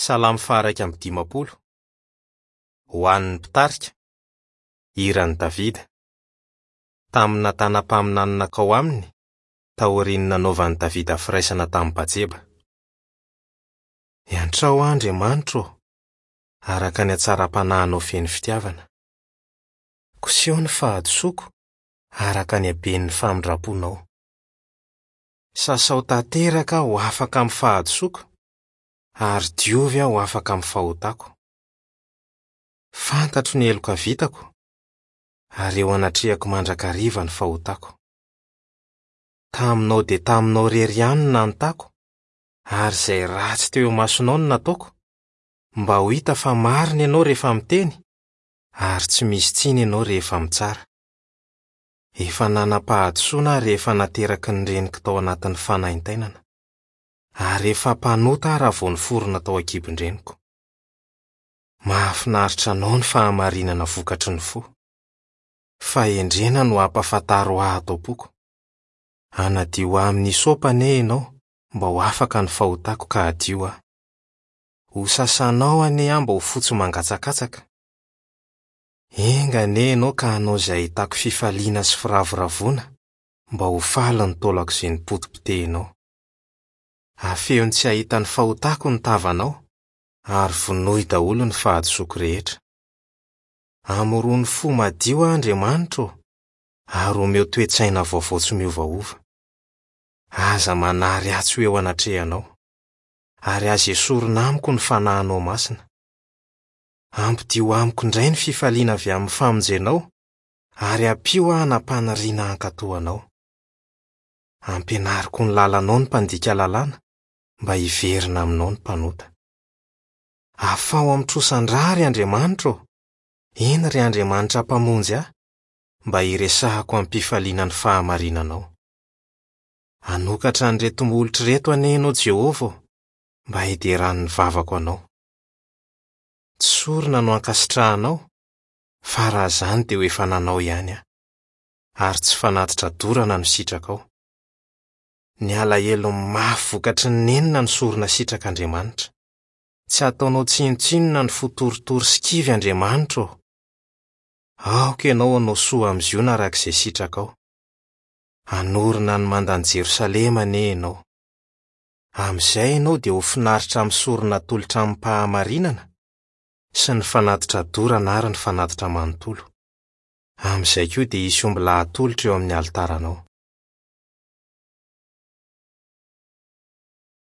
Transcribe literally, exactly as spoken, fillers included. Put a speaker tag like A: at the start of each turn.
A: Salamo faha-iraika amby dimampolo. Ho an'ny mpitarika, hiran'i Davida. Tamin'ny Natana mpaminany nankao aminy, taorian'ny nanaovan'i Davida firaisana tamin'i Batseba. Iantrao aho, Andriamanitro ô, araka ny hatsaram-panahinao feno fitiavana. Koseho ny fahadisoako, araka ny haben'ny famindram-ponao. Sasao tanteraka aho ho afaka amin'ny fahadisoako, ary diovy aho ho afaka amin'ny fahotako. Fantatro ny heloka vitako, ary eo anatrehako mandrakariva ny fahotako. Taminao dia taminao irery ihany no nanotako, ary izay ratsy teo imasonao no nataoko, mba ho hita fa marina ianao rehefa miteny, ary tsy misy tsiny ianao rehefa mitsara. Efa nanam-pahadisoana aho rehefa nateraky ny reniko tao anatin'ny fanaintainana, ary efa mpanota aho raha vao niforona tao an-kibon-dreniko. Mahafinaritra anao ny fahamarinana vokatry ny fo. Fahendrena no ampahafantaro ahy ato am-poko. Hanadio ahy amin'ny hysopa anie ianao mba ho afaka ny fahotako ka hadio aho. Ho sasanao anie aho mba ho fotsy mangatsakatsaka. Enga anie ianao ka hanao izay ahitako fifaliana sy firavoravoana mba ho faly ny taolako izay nipotipotehinao. Afehony tsy hahita ny fahotako ny tavanao, ary vonoy daholo ny fahadisoako rehetra. Amorony fo madio aho, Andriamanitro ô, ary omeo toe-tsaina vaovao tsy miovaova. Aza manary ahy tsy ho eo anatrehanao, ary aza esorina amiko ny fanahinao masina. Ampidio amiko indray ny fifaliana avy amin'ny famonjenao, ary ampio aho hanam-paniriana hankatò anao. Ampianariko ny lalanao ny mpandika lalàna, mba hiverina aminao ny mpanota. Afaho amin'ny trosan-drà, ry Andriamanitro ô! Eny, ry Andriamanitra Mpamonjy ahy, mba hiresahako amim-pifaliana ny fahamarinanao. Hanokatra an'ireto molotra ireto anie ianao, Jehovah ô, mba hideran'ny vavako anao. Tsy sorona no ankasitrahanao, fa raha izany dia ho efa nanao ihany aho, ary tsy fanatitra dorana no sitrakao. Ny alahelo mafy vokatry ny nenina no sorona sitrak'Andriamanitra. Tsy ataonao tsinontsinona ny fo torotoro sy kivy, Andriamanitra ô. Aoka ianao hanao soa amin'i Ziona araka izay sitrakao. Hanorina ny mandan'i Jerosalema anie ianao. Amin'izay ianao dia ho finaritra amin'ny sorona atolotra amim-pahamarinana sy ny fanatitra dorana ary ny fanatitra manontolo. Amin'izay koa dia hisy ombilahy atolotra eo amin'ny alitaranao.